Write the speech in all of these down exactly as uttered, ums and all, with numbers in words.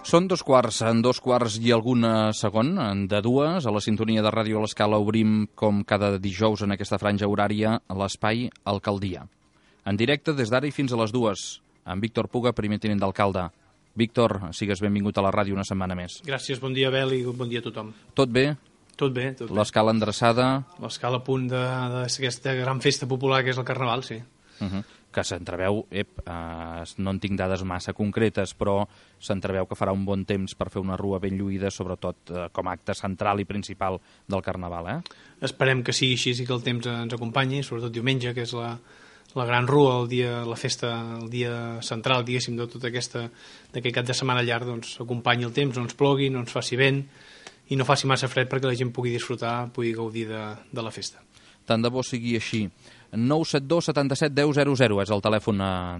Són dos quarts, en dos quarts i algun segon, de dues, a la sintonia de Ràdio a l'Escala obrim, com cada dijous en aquesta franja horària, l'espai Alcaldia. En directe des d'ara i fins a les dues, amb Víctor Puga, primer tinent d'alcalde. Víctor, sigues benvingut a la ràdio una setmana més. Gràcies, bon dia, Abel, i bon dia a tothom. Tot bé? Tot bé, tot bé. L'escala endreçada? L'escala a punt d'aquesta gran festa popular que és el Carnaval, sí. Uh -huh. Que s'entreveu, ep, eh, no en tinc dades massa concretes, però s'entreveu que farà un bon temps per fer una rua ben lluïda, sobretot eh, com a acte central i principal del Carnaval, eh? Esperem que sigui així i que el temps ens acompanyi, sobretot diumenge, que és la, la gran rua, el dia, la festa, el dia central, diguéssim, de tot aquesta, d'aquest cap de setmana llarg, doncs acompanyi el temps, no ens plogui, no ens faci vent i no faci massa fred perquè la gent pugui disfrutar, pugui gaudir de, de la festa. Tant de bo sigui així. nou set dos setanta-set deu zero zero és el telèfon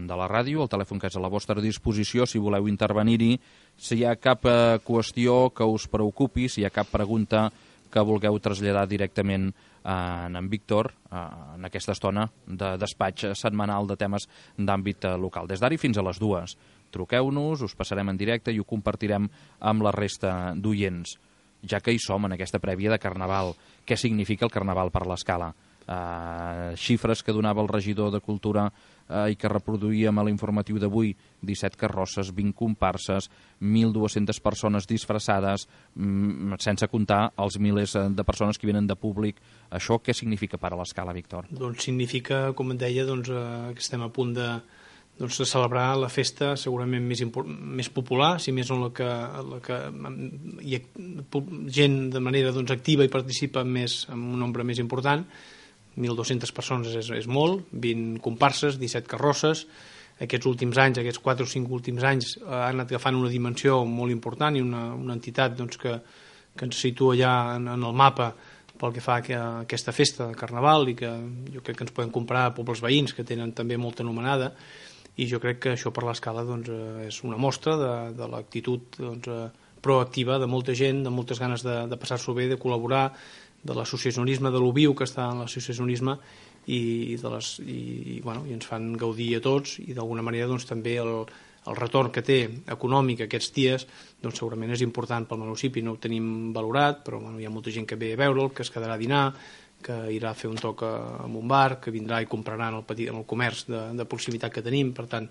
de la ràdio, el telèfon que és a la vostra disposició si voleu intervenir-hi, si hi ha cap eh, qüestió que us preocupi, si hi ha cap pregunta que vulgueu traslladar directament eh, en en Víctor eh, en aquesta estona de despatx setmanal de temes d'àmbit eh, local. Des d'ara fins a les dues. Truqueu-nos, us passarem en directe i ho compartirem amb la resta d'oients. Ja que hi som en aquesta prèvia de Carnaval, què significa el Carnaval per l'Escala? Uh, xifres que donava el regidor de Cultura uh, i que reproduïem a l'informatiu d'avui: disset carrosses, vint comparses, mil dues-centes persones disfressades, mm, sense comptar els milers de persones que venen de públic. Això què significa per a l'Escala, Víctor? Doncs significa, com et deia, doncs, uh, que estem a punt de, doncs, de celebrar la festa segurament més, més popular, si més no la que, la que hi ha gent de manera doncs, activa i participa més, amb un nombre més important. mil dues-centes persones és, és molt, vint comparses, disset carrosses. Aquests últims anys, aquests quatre o cinc últims anys, han anat agafant una dimensió molt important i una, una entitat doncs, que, que ens situa ja en, en el mapa pel que fa a, que, a aquesta festa de Carnaval, i que jo crec que ens podem comparar a pobles veïns que tenen també molta anomenada, i jo crec que això per l'Escala doncs, és una mostra de, de l'actitud doncs, proactiva de molta gent, de moltes ganes de, de passar-s'ho bé, de col·laborar, de l'associacionisme, de lo viu que està en l'associacionisme, i, de les, i, i, bueno, i ens fan gaudir a tots, i d'alguna manera doncs, també el, el retorn que té econòmic aquests dies doncs, segurament és important pel municipi. No ho tenim valorat, però bueno, hi ha molta gent que ve a veure'l, que es quedarà a dinar, que irà a fer un toc a, a un bar, que vindrà i comprarà en el, petit, en el comerç de, de proximitat que tenim. Per tant,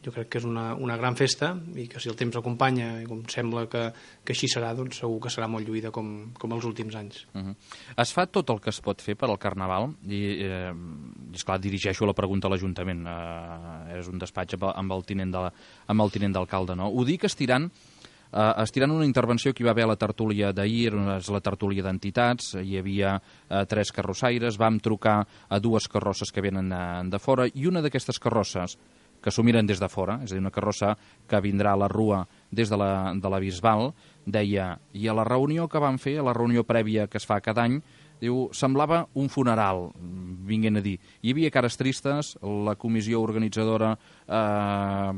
jo crec que és una, una gran festa, i que si el temps acompanya, i com sembla que, que així serà, doncs segur que serà molt lluïda com, com els últims anys. Uh -huh. Es fa tot el que es pot fer per al Carnaval, i, eh, i esclar, dirigeixo la pregunta a l'Ajuntament, eh, és un despatx amb el tinent de, amb el tinent d'alcalde, no? Ho dic estirant, eh, estirant una intervenció que hi va haver a la tertúlia d'ahir, és la tertúlia d'entitats, hi havia eh, tres carrossaires, vam trucar a dues carrosses que venen eh, de fora, i una d'aquestes carrosses que s'ho miren des de fora, és a dir, una carrossa que vindrà a la rua des de la, de la Bisbal, deia, i a la reunió que van fer, a la reunió prèvia que es fa cada any, diu, semblava un funeral, vinguent a dir. Hi havia cares tristes, la comissió organitzadora eh,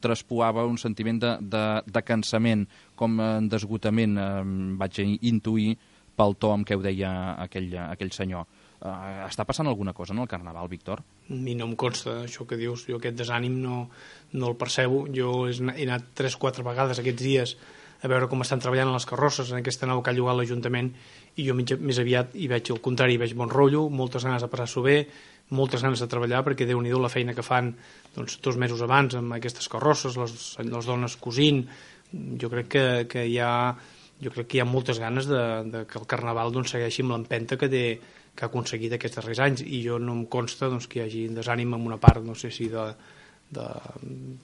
traspuava un sentiment de, de, de cansament, com d'esgotament, eh, vaig intuir pel to amb què ho deia aquell, aquell senyor. Uh, està passant alguna cosa en el Carnaval, Víctor? A mi no em consta això que dius, jo aquest desànim no, no el percebo. Jo he anat tres o quatre vegades aquests dies a veure com estan treballant les carrosses en aquesta nau que ha llogat l'Ajuntament, i jo més aviat hi veig el contrari, hi veig bon rotllo, moltes ganes de passar-s'ho bé, moltes ganes de treballar, perquè Déu-n'hi-do la feina que fan doncs, dos mesos abans amb aquestes carrosses, les, les dones cosint. Jo crec que, que hi ha jo crec que hi ha moltes ganes de, de que el Carnaval doncs, segueixi amb l'empenta que té que ha aconseguit aquests darrers anys, i jo no em consta doncs, que hi hagi desànim en una part, no sé si de, de,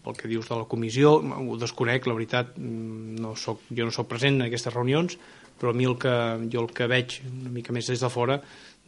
pel que dius de la comissió, ho desconec, la veritat, no soc, jo no soc present en aquestes reunions, però a mi el que, jo el que veig una mica més des de fora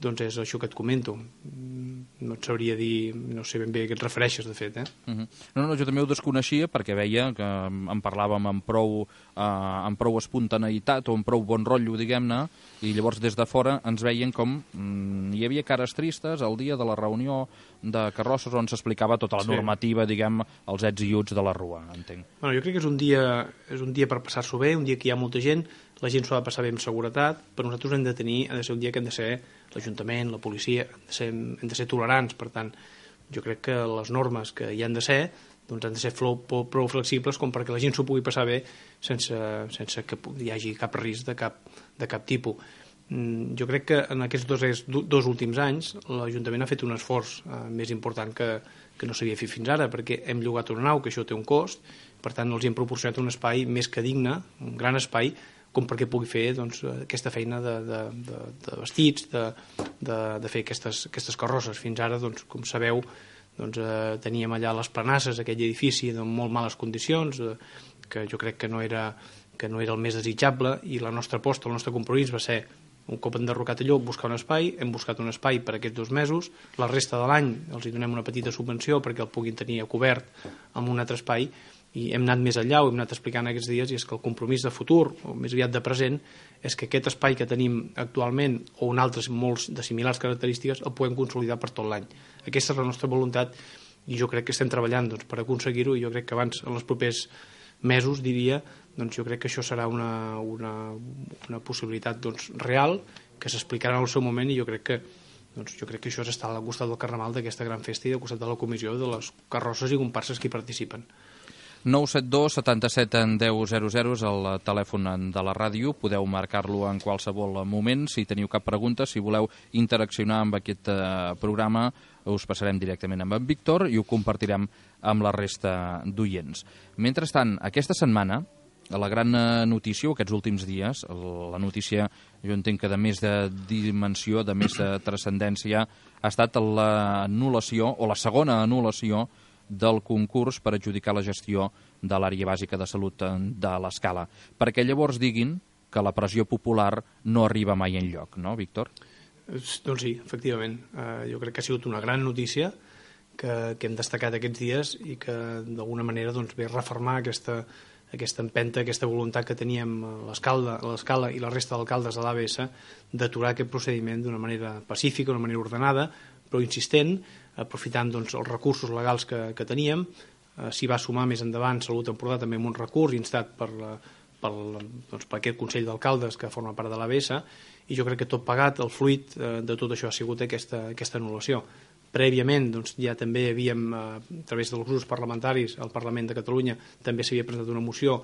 doncs és això que et comento. No et sabria dir, no sé ben bé a què et refereixes, de fet. Eh? Uh -huh. No, no, jo també ho desconeixia perquè veia que en parlàvem amb prou, eh, amb prou espontaneïtat o amb prou bon rotllo, diguem-ne, i llavors des de fora ens veien com mm, hi havia cares tristes el dia de la reunió de carrosses on s'explicava tota la normativa, sí. diguem, els ets i uts de la rua, entenc. Bueno, jo crec que és un dia, és un dia per passar-s'ho bé, un dia que hi ha molta gent, la gent s'ho ha de passar bé amb seguretat, però nosaltres hem de tenir, ha de ser un dia que hem de ser l'Ajuntament, la policia, hem de ser, hem de ser tolerants. Per tant, jo crec que les normes que hi han de ser doncs han de ser prou flexibles com perquè la gent s'ho pugui passar bé sense, sense que hi hagi cap risc de cap, de cap tipus. Jo crec que en aquests dos, dos últims anys l'Ajuntament ha fet un esforç eh, més important que, que no s'havia fet fins ara, perquè hem llogat una nau, que això té un cost, per tant els hem proporcionat un espai més que digne, un gran espai, com perquè pugui fer doncs, aquesta feina de, de, de, de vestits, de, de, de fer aquestes, aquestes carrosses. Fins ara, doncs, com sabeu, doncs, eh, teníem allà les planasses, aquell edifici en molt males condicions, eh, que jo crec que no, era, que no era el més desitjable, i la nostra aposta, el nostre compromís va ser, un cop enderrocat allò, buscar un espai. Hem buscat un espai per aquests dos mesos, la resta de l'any els hi donem una petita subvenció perquè el puguin tenir cobert amb un altre espai, i hem anat més enllà, ho hem anat explicant aquests dies, i és que el compromís de futur, o més aviat de present, és que aquest espai que tenim actualment, o un altre molts de similars característiques, el podem consolidar per tot l'any. Aquesta és la nostra voluntat, i jo crec que estem treballant doncs, per aconseguir-ho, i jo crec que abans, en els propers mesos, diria, doncs jo crec que això serà una, una, una possibilitat doncs, real, que s'explicarà en el seu moment, i jo crec que doncs, jo crec que això és estar al costat del Carnaval, d'aquesta gran festa, i al costat de la comissió, de les carrosses i comparses que hi participen. nou set dos setanta-set deu zero zero és el telèfon de la ràdio. Podeu marcar-lo en qualsevol moment. Si teniu cap pregunta, si voleu interaccionar amb aquest eh, programa, us passarem directament amb en Víctor i ho compartirem amb la resta d'oients. Mentrestant, aquesta setmana, la gran notícia, aquests últims dies, la notícia, jo entenc que de més de dimensió, de més de transcendència, ha estat l'anul·lació, o la segona anul·lació, del concurs per adjudicar la gestió de l'àrea bàsica de salut de l'Escala, perquè llavors diguin que la pressió popular no arriba mai enlloc, no, Víctor? Doncs sí, efectivament. Uh, jo crec que ha sigut una gran notícia que, que hem destacat aquests dies i que d'alguna manera doncs, ve a refermar aquesta, aquesta empenta, aquesta voluntat que teníem a l'Escala i la resta d'alcaldes de l'A B S d'aturar aquest procediment d'una manera pacífica, d'una manera ordenada, però insistent, aprofitant doncs, els recursos legals que, que teníem. Eh, s'hi va sumar més endavant Salut Empordà també amb un recurs instat per, la, per, doncs, per aquest Consell d'Alcaldes que forma part de l'A B S, i jo crec que tot pagat, el fruit eh, de tot això ha sigut aquesta, aquesta anul·lació. Prèviament doncs, ja també havíem, eh, a través dels grups parlamentaris, al Parlament de Catalunya també s'havia presentat una moció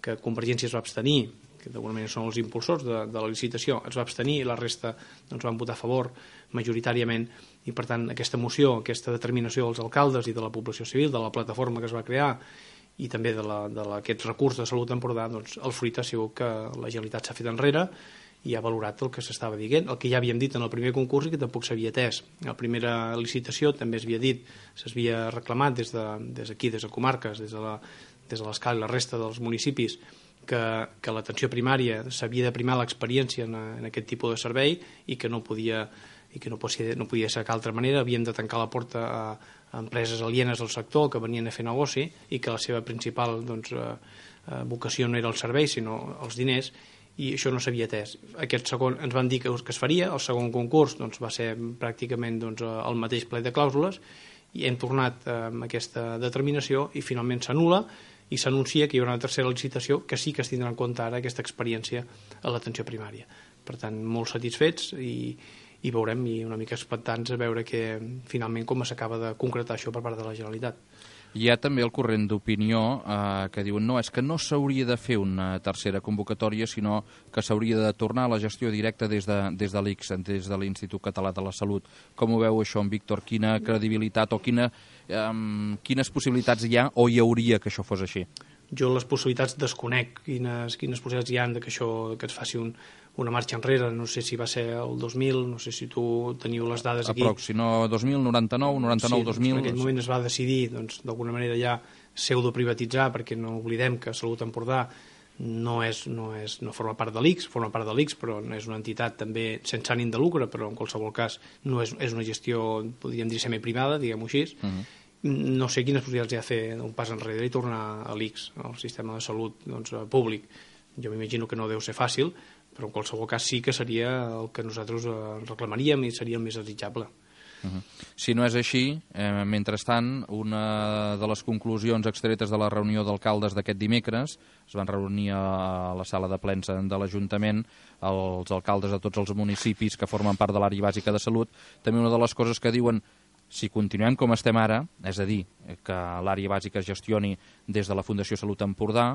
que Convergència es va abstenir, que d'alguna manera són els impulsors de, de la licitació, es va abstenir i la resta doncs, van votar a favor majoritàriament, i per tant aquesta moció, aquesta determinació dels alcaldes i de la població civil, de la plataforma que es va crear i també de, la, de la, aquest recurs de Salut Empordà, doncs el fruit ha sigut que la Generalitat s'ha fet enrere i ha valorat el que s'estava dient, el que ja havíem dit en el primer concurs i que tampoc s'havia atès. A la primera licitació també s'havia dit, s'havia reclamat des d'aquí, de, des, des de comarques, des de la, des de l'Escala i la resta dels municipis, que, que l'atenció primària s'havia de primar l'experiència en, en aquest tipus de servei i que no podia i que no podia, no podia ser d'altra manera. Havíem de tancar la porta a, a empreses alienes al sector que venien a fer negoci i que la seva principal doncs, eh, vocació no era el servei sinó els diners, i això no s'havia atès. Aquest segon ens van dir que, que es faria, el segon concurs doncs, va ser pràcticament doncs, el mateix ple de clàusules, i hem tornat eh, amb aquesta determinació i finalment s'anul·la i s'anuncia que hi haurà una tercera licitació que sí que es tindrà en compte ara aquesta experiència a l'atenció primària. Per tant, molt satisfets i, i veurem, i una mica expectants a veure que finalment com s'acaba de concretar això per part de la Generalitat. Hi ha també el corrent d'opinió eh, que diuen no, és que no s'hauria de fer una tercera convocatòria, sinó que s'hauria de tornar a la gestió directa des de, des de l'I C S, des de l'Institut Català de la Salut. Com ho veu això, en Víctor? Quina credibilitat o quina, eh, quines possibilitats hi ha o hi hauria que això fos així? Jo les possibilitats desconec quines, quines possibilitats hi ha de que això que es faci un, una marxa enrere. No sé si va ser el dos mil, no sé si tu teniu les dades aquí. Aprox, si no dos mil, noranta-nou, noranta-nou, dos mil... Sí, en aquell moment es va decidir doncs, d'alguna manera ja pseudoprivatitzar, perquè no oblidem que Salut Empordà no, és, no, és, no forma part de l'I C S, forma part de l'I C S, però no és una entitat també sense ànim de lucre, però en qualsevol cas no és, és una gestió, podríem dir, semiprivada, diguem-ho així. Uh -huh. No sé quines possibilitats hi ha de fer un pas enrere i tornar a l'I C S, al sistema de salut doncs, públic. Jo m'imagino que no deu ser fàcil, però en qualsevol cas sí que seria el que nosaltres reclamaríem i seria el més desitjable. Uh -huh. Si no és així, eh, mentrestant, una de les conclusions extretes de la reunió d'alcaldes d'aquest dimecres, es van reunir a la sala de plens de l'Ajuntament els alcaldes de tots els municipis que formen part de l'àrea bàsica de salut, també una de les coses que diuen Si continuem com estem ara, és a dir, que l'àrea bàsica es gestioni des de la Fundació Salut Empordà,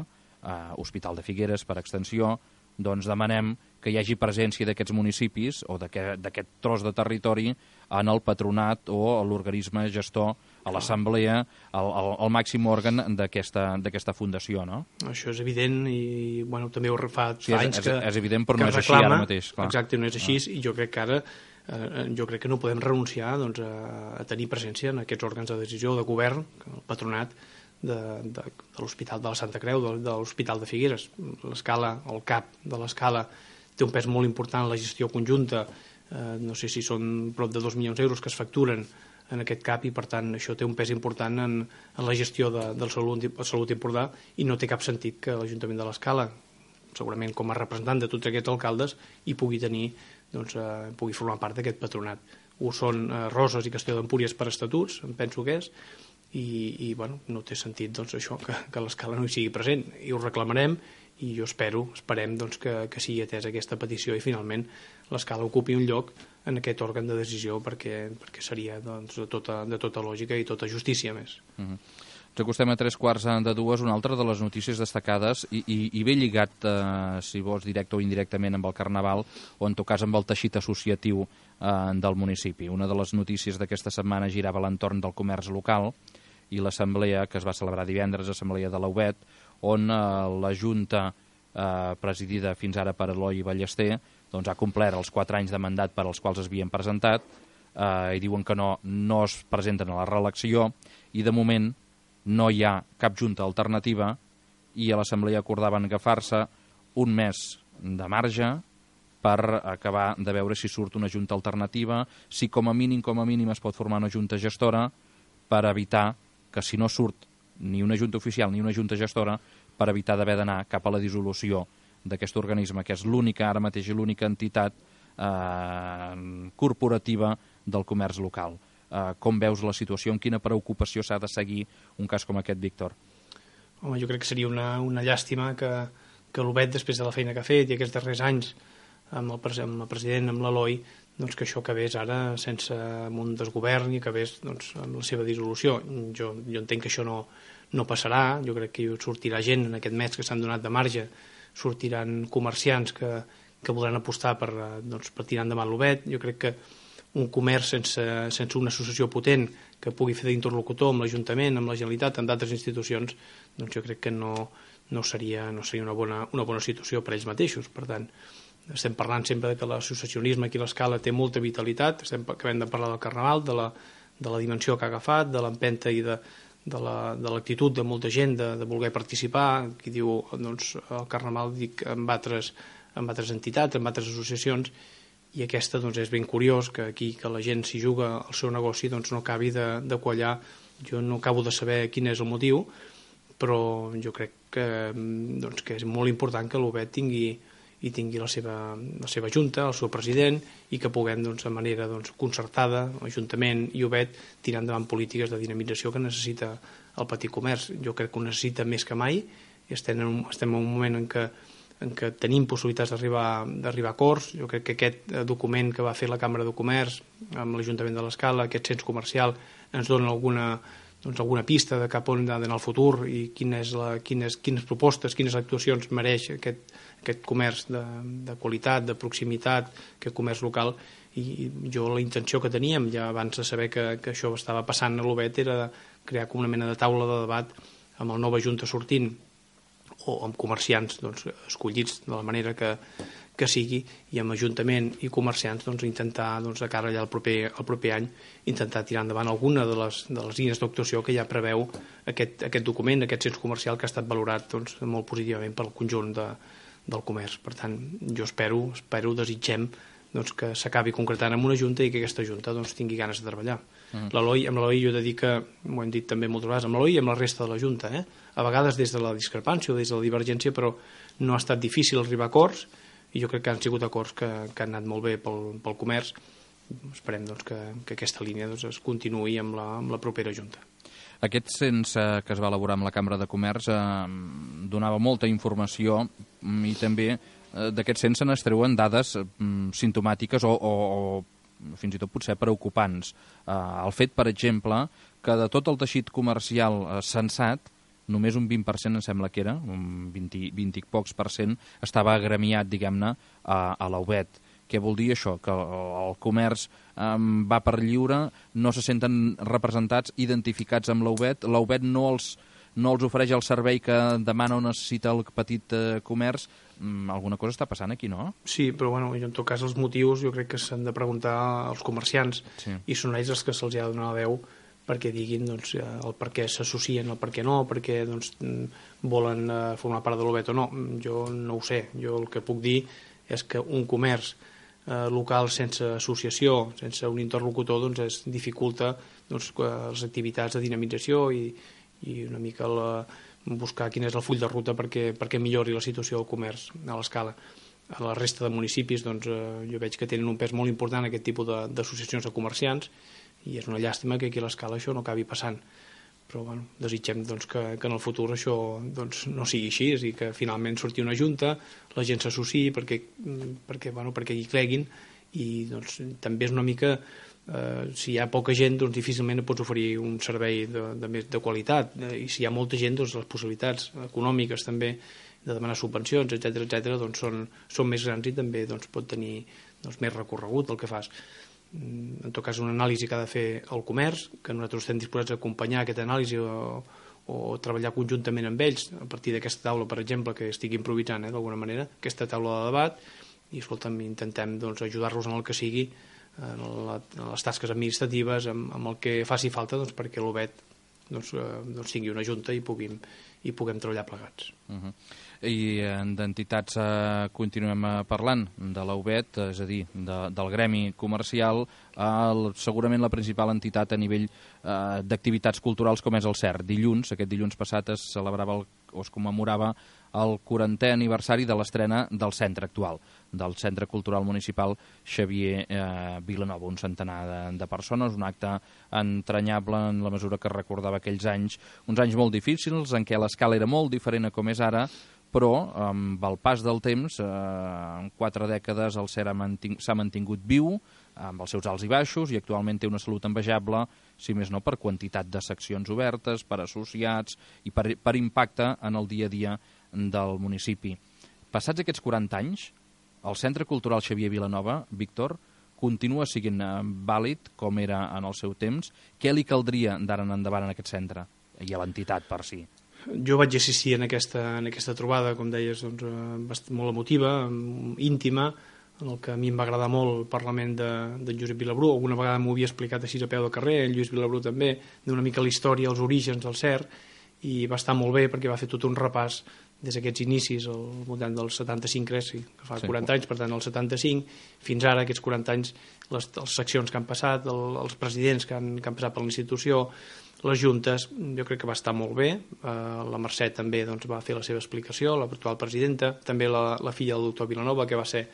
eh, Hospital de Figueres per extensió, doncs demanem que hi hagi presència d'aquests municipis o d'aquest tros de territori en el patronat o l'organisme gestor, a l'assemblea, el, el, el màxim òrgan d'aquesta fundació, no? Això és evident i bueno, també ho fa, sí, fa és, anys és, que és evident, però que no és reclama, així ara mateix. Clar. Exacte, no és així, ah. i jo crec que ara eh, jo crec que no podem renunciar doncs, a, a tenir presència en aquests òrgans de decisió de govern, el patronat de, de, de l'Hospital de la Santa Creu, de, de l'Hospital de Figueres. L'escala, el cap de l'escala té un pes molt important en la gestió conjunta, eh, no sé si són prop de dos milions d'euros que es facturen en aquest cap i per tant això té un pes important en, en la gestió de, del Salut, Salut Empordà i no té cap sentit que l'Ajuntament de l'Escala, segurament com a representant de tots aquests alcaldes, hi pugui tenir, doncs, eh, pugui formar part d'aquest patronat. Ho són eh, Roses i Castelló d'Empúries per estatuts, em penso que és, i, i bueno, no té sentit doncs, això que, que l'Escala no hi sigui present i ho reclamarem i jo espero, esperem doncs, que, que sigui atesa aquesta petició i finalment l'Escala ocupi un lloc en aquest òrgan de decisió perquè, perquè seria doncs, de, tota, de tota lògica i tota justícia més. Uh-huh. Ens acostem a tres quarts de dues, una altra de les notícies destacades i, i, i ben lligat, eh, si vols, directe o indirectament amb el Carnaval o en tot cas amb el teixit associatiu eh, del municipi. Una de les notícies d'aquesta setmana girava a l'entorn del comerç local i l'assemblea que es va celebrar divendres, assemblea de l'U B E T, on eh, la Junta eh, presidida fins ara per Eloi Ballester doncs ha complert els quatre anys de mandat per als quals es havien presentat eh, i diuen que no, no es presenten a la reelecció i de moment no hi ha cap junta alternativa i a l'assemblea acordaven agafar-se un mes de marge per acabar de veure si surt una junta alternativa, si com a mínim com a mínim es pot formar una junta gestora per evitar que si no surt ni una junta oficial ni una junta gestora, per evitar d'haver d'anar cap a la dissolució d'aquest organisme, que és l'única, ara mateix, l'única entitat eh, corporativa del comerç local. Eh, com veus la situació, amb quina preocupació s'ha de seguir un cas com aquest, Víctor? Home, jo crec que seria una, una llàstima que, que l'U B E T, després de la feina que ha fet i aquests darrers anys amb el, amb el president, amb l'Eloi, doncs que això acabés ara sense un desgovern i acabés doncs, amb la seva dissolució. Jo, jo entenc que això no, no passarà, jo crec que sortirà gent en aquest mes que s'han donat de marge, sortiran comerciants que, que voldran apostar per, doncs, per tirar endavant l'U B E T. Jo crec que un comerç sense, sense una associació potent que pugui fer d'interlocutor amb l'Ajuntament, amb la Generalitat, amb d'altres institucions, doncs jo crec que no, no seria, no seria una, bona, una bona situació per ells mateixos. Per tant, estem parlant sempre de que l'associacionisme aquí a l'Escala té molta vitalitat, estem acabem de parlar del Carnaval, de la, de la dimensió que ha agafat, de l'empenta i de, de l'actitud la, de molta gent de, de voler participar, qui diu doncs, el Carnaval dic amb altres, amb altres entitats, amb altres associacions, i aquesta doncs, és ben curiós que aquí que la gent s'hi juga el seu negoci doncs, no acabi de, de quallar. Jo no acabo de saber quin és el motiu, però jo crec que, doncs, que és molt important que l'U B E T tingui, i tingui la seva, la seva junta, el seu president, i que puguem doncs, de manera doncs, concertada, l'Ajuntament i U B E T, tirar endavant polítiques de dinamització que necessita el petit comerç. Jo crec que ho necessita més que mai, i estem en un, estem en un moment en què en què tenim possibilitats d'arribar d'arribar a acords. Jo crec que aquest document que va fer la Càmera de Comerç amb l'Ajuntament de l'Escala, aquest cens comercial, ens dona alguna, doncs, alguna pista de cap on ha d'anar el futur i quines, la, quines, quines propostes, quines actuacions mereix aquest, aquest comerç de, de qualitat, de proximitat, aquest comerç local. I jo la intenció que teníem, ja abans de saber que, que això estava passant a l'U B E T, era crear com una mena de taula de debat amb el nova Junta sortint o amb comerciants doncs, escollits de la manera que, que sigui, i amb Ajuntament i comerciants doncs, intentar, doncs, de cara allà al proper, al proper any, intentar tirar endavant alguna de les, de les línies d'actuació que ja preveu aquest, aquest document, aquest cens comercial que ha estat valorat doncs, molt positivament pel conjunt de, del comerç. Per tant, jo espero, espero desitgem doncs, que s'acabi concretant amb una junta i que aquesta junta doncs, tingui ganes de treballar. Mm. L'Eloi, amb l'Eloi jo he de dir que, ho hem dit també moltes vegades, amb l'Eloi i amb la resta de la junta, eh? A vegades des de la discrepància o des de la divergència, però no ha estat difícil arribar a acords, i jo crec que han sigut acords que, que han anat molt bé pel, pel comerç. Esperem doncs, que, que aquesta línia doncs, es continuï amb la, amb la propera junta. Aquest cens eh, que es va elaborar amb la Cambra de Comerç eh, donava molta informació i també eh, d'aquest cens se n'extreuen dades eh, simptomàtiques o, o, o fins i tot potser preocupants. Eh, el fet, per exemple, que de tot el teixit comercial eh, censat, només un vint per cent em sembla que era, un vint, vint i pocs per cent, estava agremiat, diguem-ne, a, a la U B E T. Què vol dir això? Que el comerç eh, va per lliure, no se senten representats, identificats amb la U B E T, la U B E T no els, no els ofereix el servei que demana o necessita el petit eh, comerç. Mm, alguna cosa està passant aquí, no? Sí, però bueno, en tot cas els motius jo crec que s'han de preguntar als comerciants, sí. I són ells els que se'ls ha de donar la veu perquè diguin doncs, el per què s'associen, el per què no, perquè doncs, volen eh, formar part de l'U B E T o no. Jo no ho sé. Jo el que puc dir és que un comerç eh, local sense associació, sense un interlocutor, doncs es dificulta doncs, les activitats de dinamització i, i una mica la, buscar quin és el full de ruta perquè, perquè millori la situació del comerç a l'escala. A la resta de municipis doncs, eh, jo veig que tenen un pes molt important aquest tipus d'associacions de, de comerciants i és una llàstima que aquí a l'escala això no acabi passant. Però bueno, desitgem doncs, que, que en el futur això doncs, no sigui així i que finalment surti una junta, la gent s'associï perquè, perquè, bueno, perquè hi creguin i doncs, també és una mica eh, si hi ha poca gent doncs, difícilment pots oferir un servei de, de, més de qualitat i si hi ha molta gent doncs, les possibilitats econòmiques també de demanar subvencions, etcètera etcètera doncs, són, són més grans i també doncs, pot tenir doncs, més recorregut el que fas. En tot cas, una anàlisi que ha de fer el comerç, que nosaltres estem disposats a acompanyar aquesta anàlisi o, o treballar conjuntament amb ells a partir d'aquesta taula, per exemple, que estigui improvisant eh, d'alguna manera, aquesta taula de debat, i escolta'm, intentem doncs, ajudar-los en el que sigui, en, la, en les tasques administratives, amb, amb el que faci falta doncs, perquè l'U B E T doncs, eh, doncs, tingui una junta i puguem, i puguem treballar plegats. Uh-huh. I d'entitats eh, continuem parlant de la U B E T, és a dir, de, del gremi comercial, eh, segurament la principal entitat a nivell eh, d'activitats culturals com és el C E R. Dilluns, aquest dilluns passat, es celebrava el, o es commemorava el quarantè aniversari de l'estrena del centre actual, del Centre Cultural Municipal Xavier eh, Vilanova, un centenar de, de persones, un acte entranyable en la mesura que recordava aquells anys, uns anys molt difícils en què l'escala era molt diferent a com és ara, però amb el pas del temps, eh, en quatre dècades el C E R s'ha mantingut viu, amb els seus alts i baixos, i actualment té una salut envejable, si més no per quantitat de seccions obertes, per associats i per, per impacte en el dia a dia del municipi. Passats aquests quaranta anys, el Centre Cultural Xavier Vilanova, Víctor, continua sent vàlid com era en el seu temps. Què li caldria d'ara en endavant en aquest centre i a l'entitat per si? Jo vaig assistir en aquesta, en aquesta trobada, com deies, doncs, molt emotiva, íntima, en el que a mi em va agradar molt el Parlament de, de Josep Vilabrú. Alguna vegada m'ho havia explicat així a peu de carrer, el Lluís Vilabrú també, d'una mica la història, els orígens del C E R, i va estar molt bé perquè va fer tot un repàs des d'aquests inicis, al voltant del setanta-cinc, crec, sí, que fa sí. quaranta anys, per tant, el setanta-cinc, fins ara, aquests quaranta anys, les, les seccions que han passat, el, els presidents que han, que han passat per la institució, les juntes, jo crec que va estar molt bé. Eh, la Mercè també doncs, va fer la seva explicació, l'actual presidenta, també la, la filla del doctor Vilanova, que va ser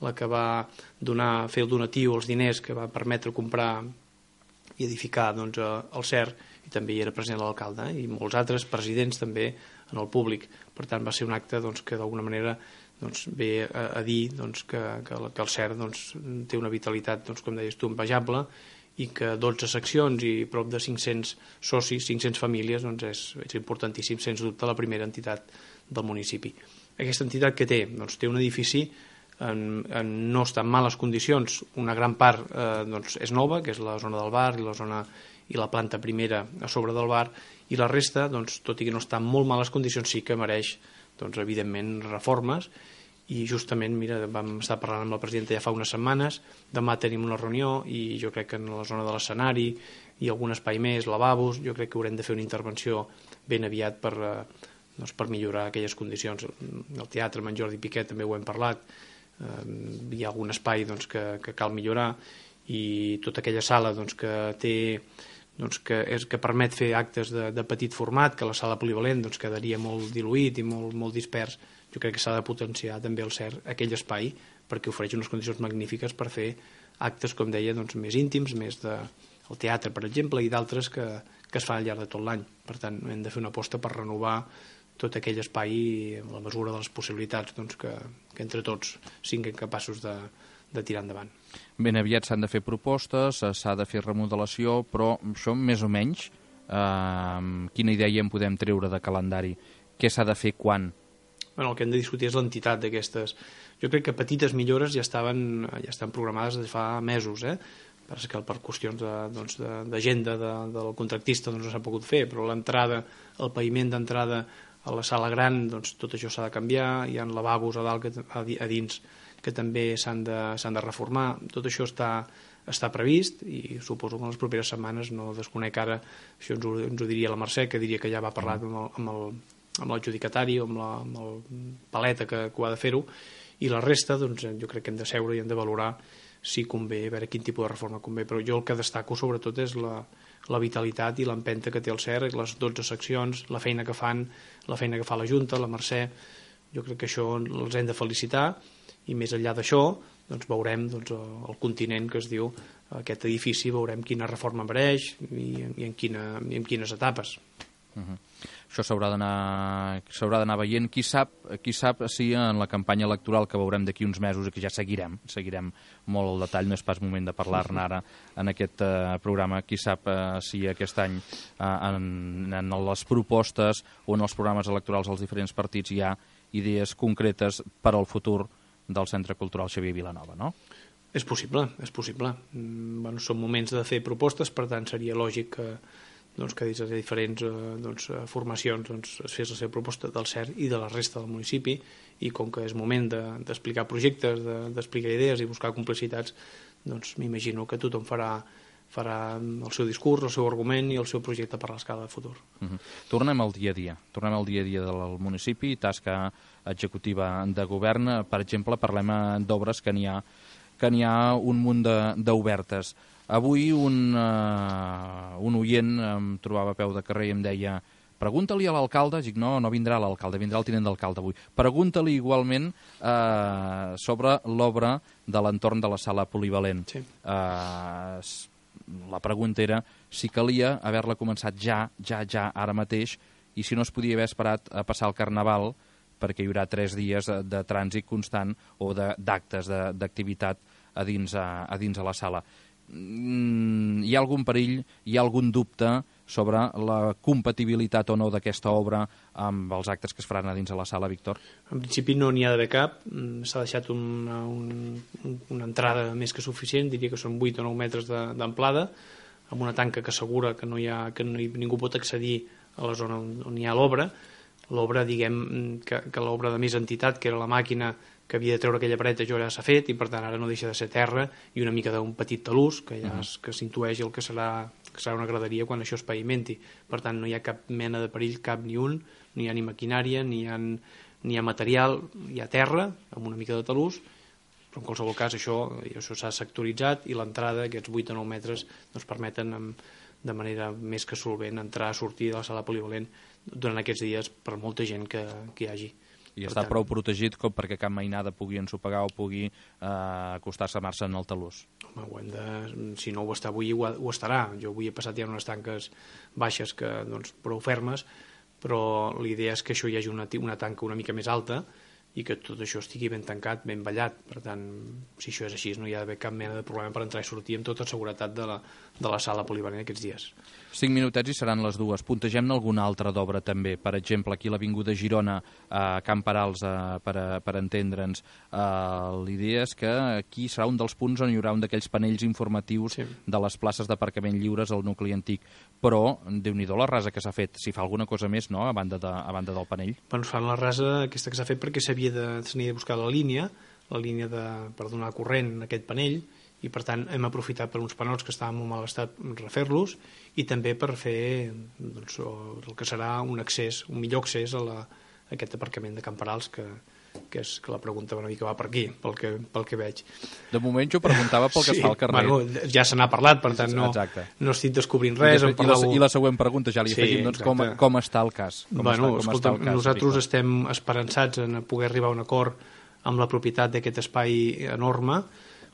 la que va donar, fer el donatiu, els diners que va permetre comprar i edificar doncs, el C E R, i també hi era present l'alcalde, eh, i molts altres presidents també en el públic. Per tant, va ser un acte doncs, que d'alguna manera doncs, ve a, a dir doncs, que, que, que el C E R doncs, té una vitalitat, doncs, com deies tu, envejable, i que dotze seccions i prop de cinc-cents socis, cinc-cents famílies, doncs és, és importantíssim, sens dubte, la primera entitat del municipi. Aquesta entitat que té? Doncs té un edifici en, en no està en males condicions. Una gran part eh, doncs, és nova, que és la zona del bar i la zona i la planta primera a sobre del bar, i la resta, doncs, tot i que no està en molt males condicions, sí que mereix, doncs, evidentment, reformes. I justament, mira, vam estar parlant amb la presidenta ja fa unes setmanes, demà tenim una reunió i jo crec que en la zona de l'escenari i algun espai més, lavabos, jo crec que haurem de fer una intervenció ben aviat per, doncs, per millorar aquelles condicions. El teatre amb en Jordi Piquet també ho hem parlat, eh, hi ha algun espai doncs, que, que cal millorar, i tota aquella sala doncs, que té doncs, que, és, que permet fer actes de, de petit format, que la sala polivalent doncs, quedaria molt diluït i molt, molt dispers. Jo crec que s'ha de potenciar també el C E R, aquell espai, perquè ofereix unes condicions magnífiques per fer actes, com deia, doncs, més íntims, més de el teatre, per exemple, i d'altres que, que es fan al llarg de tot l'any. Per tant, hem de fer una aposta per renovar tot aquell espai a la mesura de les possibilitats doncs, que, que entre tots siguin capaços de, de tirar endavant. Ben aviat s'han de fer propostes, s'ha de fer remodelació, però això més o menys, eh, quina idea en podem treure de calendari? Què s'ha de fer quan? Bueno, el que hem de discutir és l'entitat d'aquestes. Jo crec que petites millores ja estaven ja estan programades des de fa mesos, eh? perquè per qüestions d'agenda de, doncs, de, de, del contractista doncs, no s'ha pogut fer, però l'entrada, el paviment d'entrada a la sala gran, doncs, tot això s'ha de canviar, hi ha lavabos a dalt, que, a, a dins, que també s'han de, s'han de reformar, tot això està, està previst i suposo que en les properes setmanes, no desconec ara, això ens ho, ens ho diria la Mercè, que diria que ja va parlar amb el, amb el, amb l'adjudicatari o amb, la, amb el paleta que, que ho ha de fer-ho, i la resta doncs, jo crec que hem de seure i hem de valorar si convé, a veure quin tipus de reforma convé, però jo el que destaco sobretot és la, la vitalitat i l'empenta que té el C E R, les dotze seccions, la feina que fan, la feina que fa la Junta, la Mercè, jo crec que això els hem de felicitar, i més enllà d'això doncs veurem doncs, el continent que es diu aquest edifici, veurem quina reforma mereix i, i, en, quina, i en quines etapes. Uh-huh. Això s'haurà d'anar s'haurà d'anar veient. Qui sap, qui sap si en la campanya electoral que veurem d'aquí uns mesos i que ja seguirem, seguirem molt al detall, no és pas moment de parlar-ne ara en aquest uh, programa, qui sap uh, si aquest any uh, en, en les propostes o en els programes electorals dels diferents partits hi ha idees concretes per al futur del Centre Cultural Xavier Vilanova, no? És possible, és possible. Mm, bueno, són moments de fer propostes, per tant seria lògic que doncs, que des de diferents eh, doncs, formacions doncs, es fes la seva proposta del C E R i de la resta del municipi, i com que és moment d'explicar de, projectes, d'explicar de, idees i buscar complicitats, doncs m'imagino que tothom farà, farà el seu discurs, el seu argument i el seu projecte per l'escala de futur. Uh-huh. Tornem al dia a dia, tornem al dia a dia del municipi, tasca executiva de govern. Per exemple, parlem d'obres que n'hi ha, que n'hi ha un munt d'obertes. Avui un, uh, un oient em trobava a peu de carrer i em deia pregunta-li a l'alcalde, dic no, no vindrà l'alcalde, vindrà el tinent d'alcalde avui, pregunta-li igualment uh, sobre l'obra de l'entorn de la sala polivalent. Sí. Uh, la pregunta era si calia haver-la començat ja, ja, ja, ara mateix, i si no es podia haver esperat a passar el Carnaval, perquè hi haurà tres dies de, de trànsit constant o d'actes, d'activitat a dins, a, a dins a la sala. Hi ha algun perill, hi ha algun dubte sobre la compatibilitat o no d'aquesta obra amb els actes que es faran a dins de la sala, Víctor? En principi no n'hi ha d'haver cap, s'ha deixat una, un, una entrada més que suficient, diria que són vuit o nou metres d'amplada, amb una tanca que assegura que, no hi ha, que no hi, ningú pot accedir a la zona on, on hi ha l'obra. L'obra, diguem, que, que l'obra de més entitat, que era la màquina que havia de treure aquella paret, això ja s'ha fet, i per tant ara no deixa de ser terra i una mica d'un petit talús, que ja es, que s'intueix el que serà, que serà una graderia quan això es pavimenti. Per tant, no hi ha cap mena de perill, cap ni un, no hi ha ni maquinària, ni hi ha, ni hi ha material, hi ha terra, amb una mica de talús, però en qualsevol cas això això s'ha sectoritzat i l'entrada, aquests vuit o nou metres, doncs permeten amb, de manera més que solvent entrar, sortir de la sala polivalent durant aquests dies per molta gent que, que hi hagi. I està prou protegit com perquè cap mainada pugui ensopegar o pugui eh, acostar-se a mar-se en el talús. Home, ho hem de, si no ho està avui, ho, ho estarà. Jo avui he passat ja unes tanques baixes que, doncs, prou fermes, però l'idea és que això hi hagi una, una tanca una mica més alta i que tot això estigui ben tancat, ben ballat. Per tant, si això és així, no hi ha d'haver cap mena de problema per entrar i sortir amb tota seguretat de la, de la sala polivalent aquests dies. Cinc minutets i seran les dues. Puntegem-ne alguna altra d'obra també. Per exemple, aquí a l'Avinguda Girona, a Camp Perals, eh, per, per entendre'ns, eh, l'idea és que aquí serà un dels punts on hi haurà un d'aquells panells informatius sí. de les places d'aparcament lliures al nucli antic. Però, Déu-n'hi-do la rasa que s'ha fet. Si fa alguna cosa més, no?, a banda, de, a banda del panell. Bueno, fan la rasa aquesta que s'ha fet perquè s'havia de, s'havia de buscar la línia, la línia de, per donar corrent en aquest panell, i per tant hem aprofitat per uns panots que estaven en molt mal estat refer-los i també per fer doncs, el que serà un accés, un millor accés a, la, a aquest aparcament de Camp Perals que, que és que la pregunta una mica va per aquí, pel que, pel que veig. De moment jo preguntava pel que sí, es fa al carrer. Bueno, ja se n'ha parlat, per tant no, no estic descobrint res. I, després, parlàveu... I la següent pregunta ja li sí, afegim, doncs com, com està el cas? Com bueno, està, com escolta, està el cas, nosaltres Víctor? Estem esperançats en poder arribar a un acord amb la propietat d'aquest espai enorme,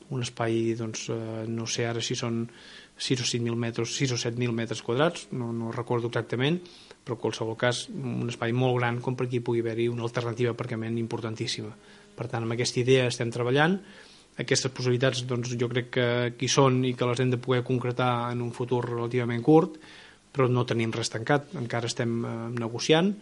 un espai, doncs, eh, no sé ara si són sis o set mil metres, sis o set mil metres quadrats, no, no recordo exactament, però en qualsevol cas un espai molt gran com per aquí pugui haver-hi una alternativa d'aparcament importantíssima. Per tant, amb aquesta idea estem treballant, aquestes possibilitats doncs, jo crec que aquí són i que les hem de poder concretar en un futur relativament curt, però no tenim res tancat, encara estem eh, negociant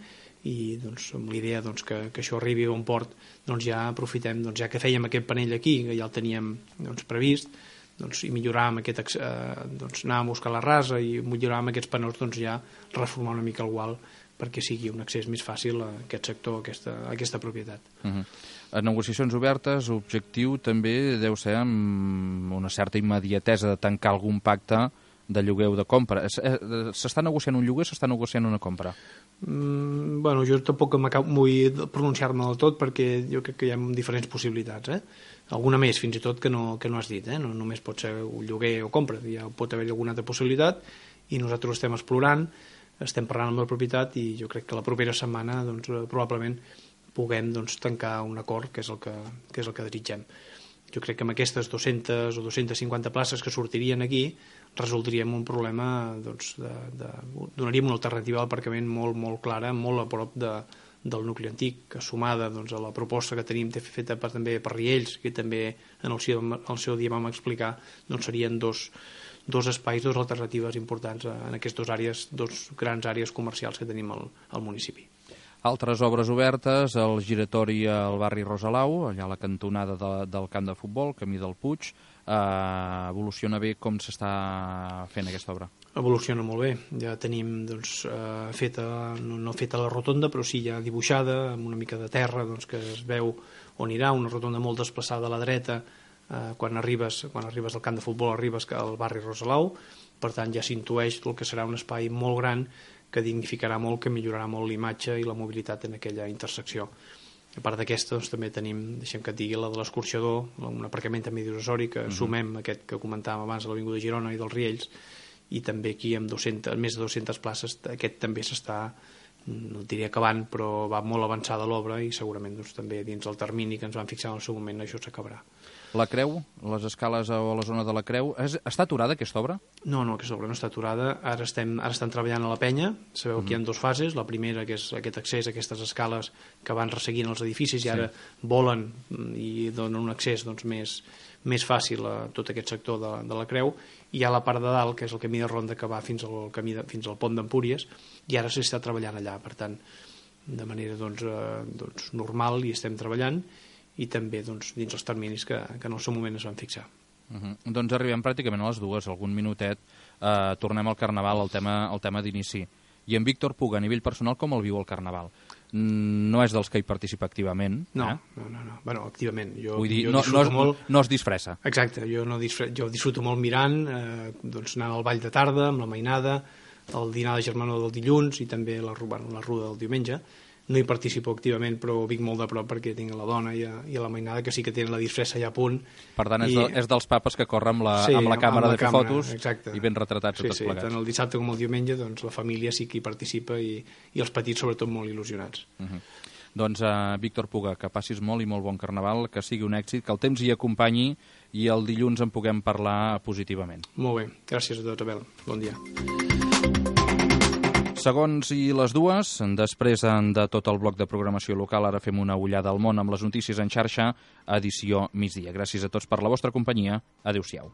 i doncs, amb l'idea doncs, que, que això arribi a un port, doncs ja aprofitem, doncs, ja que fèiem aquest panell aquí, que ja el teníem doncs, previst, doncs, i milloràvem aquest, eh, doncs, anàvem a buscar la rasa i milloràvem aquests panels, doncs ja reformar una mica el gual perquè sigui un accés més fàcil a aquest sector, a aquesta, a aquesta propietat. Uh-huh. A negociacions obertes, l'objectiu també deu ser amb una certa immediatesa de tancar algun pacte de lloguer o de compra. S'està negociant un lloguer o s'està negociant una compra? Mm, bueno, jo tampoc vull pronunciar-me del tot perquè jo crec que hi ha diferents possibilitats, eh? Alguna més fins i tot que no, que no has dit, eh? No només pot ser un lloguer o compra, ja pot haver-hi alguna altra possibilitat i nosaltres estem explorant, estem parlant amb la propietat i jo crec que la propera setmana doncs, probablement puguem doncs, tancar un acord que és el que, que és el que desitgem. Jo crec que amb aquestes dues-centes o dues-centes cinquanta places que sortirien aquí resoldríem un problema, doncs, de, de, donaríem una alternativa a l'aparcament molt, molt clara, molt a prop de, del nucli antic, que sumada doncs, a la proposta que tenim feta per, també per Riells, que també en el seu, el seu dia vam explicar, doncs serien dos, dos espais, dues alternatives importants en aquestes dues àrees, dos grans àrees comercials que tenim al, al municipi. Altres obres obertes, el giratori al barri Rosalau, allà a la cantonada de, del camp de futbol, camí del Puig, eh, evoluciona bé. Com s'està fent aquesta obra? Evoluciona molt bé, ja tenim doncs, eh, feta, no, no feta la rotonda, però sí ja dibuixada, amb una mica de terra, doncs, que es veu on anirà, una rotonda molt desplaçada a la dreta, eh, quan, arribes, quan arribes al camp de futbol arribes al barri Rosalau, per tant ja s'intueix el que serà un espai molt gran que dignificarà molt, que millorarà molt l'imatge i la mobilitat en aquella intersecció. A part d'aquesta, doncs, també tenim, deixem que et digui, la de l'escorxador, un aparcament també divisori, que uh-huh. sumem aquest que comentàvem abans a l'Avinguda Girona i dels Riells, i també aquí amb dues-centes, més de dues-centes places, aquest també s'està, no diria acabant, però va molt avançada l'obra i segurament doncs, també dins el termini que ens vam fixar en el seu moment això s'acabarà. La Creu, les escales a la zona de la Creu, és, està aturada aquesta obra? No, no, aquesta obra no està aturada. Ara estem, ara estan treballant a la penya. Sabeu mm. que hi ha dues fases. La primera, que és aquest accés a aquestes escales que van resseguint els edificis i ara sí. volen i donen un accés doncs, més, més fàcil a tot aquest sector de, de la Creu. I hi ha la part de dalt, que és el camí de ronda que va fins al, camí de, fins al pont d'Empúries, i ara s'està treballant allà. Per tant, de manera doncs, eh, doncs, normal hi estem treballant, i també doncs, dins els terminis que, que en el seu moment es van fixar. Uh-huh. Doncs arribem pràcticament a les dues, algun minutet. Uh, tornem al Carnaval, al tema, al tema d'inici. I en Víctor Puga, a nivell personal, com el viu el Carnaval? No és dels que hi participa activament. No, eh? no, no, no. Bueno, activament. Jo, Vull dir, jo no, no, es, molt... no es disfressa. Exacte, jo, no disfre... jo disfruto molt mirant, eh, doncs anant al ball de tarda, amb la mainada, el dinar de germanor del dilluns i també la, bueno, la ruda del diumenge. No hi participo activament, però ho vinc molt de prop perquè tinc la dona i, a, i a la mainada que sí que tenen la disfressa ja a punt. Per tant, és, I... de, és dels papes que corren amb la, sí, amb la càmera amb la de fer càmera, fotos exacte. I ben retratats sí, tots sí, plegats. Tant el dissabte com el diumenge doncs, la família sí que hi participa i, i els petits sobretot molt il·lusionats. Uh-huh. Doncs, uh, Víctor Puga, que passis molt i molt bon Carnaval, que sigui un èxit, que el temps hi acompanyi i el dilluns en puguem parlar positivament. Molt bé, gràcies a tots, Abel. Bon dia. Segons i les dues, després de tot el bloc de programació local, ara fem una ullada al món amb les notícies en xarxa, edició migdia. Gràcies a tots per la vostra companyia. Adéu-siau.